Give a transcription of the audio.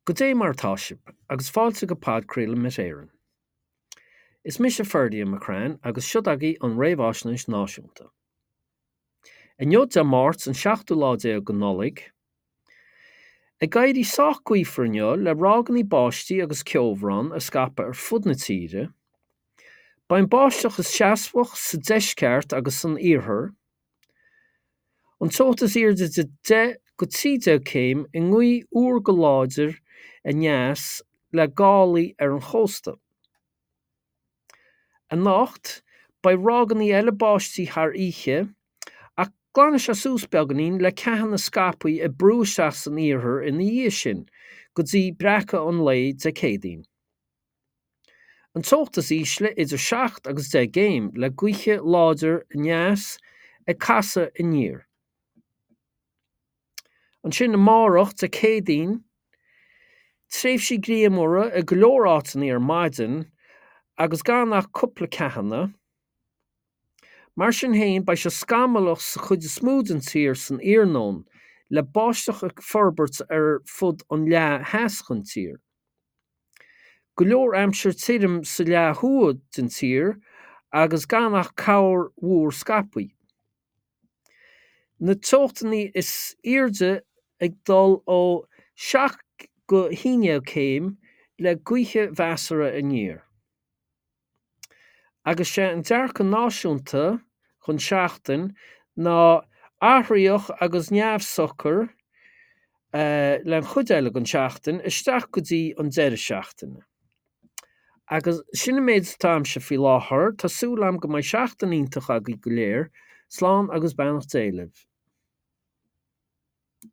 Goidé mar atá sibh, agus fáilte go podchraoladh Met Éireann. Is mise Ferdia McCrann agus siod agaibh an Réamhaisnéis Náisiúnta. Inniu Dé Máirt an seachtú lá déag de Nollaig. Ag éirí sách gaofar inniu le ráigeanna báistí agus ceobhrán ag scaipeadh ar fud na tíre. Beidh an báisteach is seasmhach sa deisceart agus san iarthar. An teocht is airde idir 10 go 13 céim i ngaoth fhuar go láidir aneas le gálaí ar an chósta. Anocht, beidh ráigeanna eile báistí thar oíche, ach glanfaidh sé suas beagáinín le ceathanna scaipthe ag brú isteach san iarthar ina dhiaidh sin go dtí breacadh an lae Dé Céadaoin. An teocht is ísle idir 7 agus 10 gcéim le gaoithe láidir aneas ag casadh aniar. Ansin amárach, Dé Céadaoin, tréimhsí grianmhara i go leor áiteanna ar maidin agus gan ach cúpla ceathanna. Mar sin féin, beidh sé scamallach sa chuid is mó den tír san iarnóin, le báisteach ag forbairt ar fud an leath theas den tír. Go leor aimsir tirim sa leath thuaidh den tír agus gan ach corrmhúr scaipthe. Na teochtanna is airde ag dul ó 7 go 11 céim le gaoithe mheasartha aniar. Agus sé an dearcadh náisiúnta don seachtain ná athraitheach agus neamhshocair le an chuid eile den seachtain isteach go dtí an deireadh seachtaine. Agus sin an méid atá a'mse faoi láthair, tá súil a'm go mbeidh seachtain iontach agaibh go léir, slán agus beannacht Dé libh.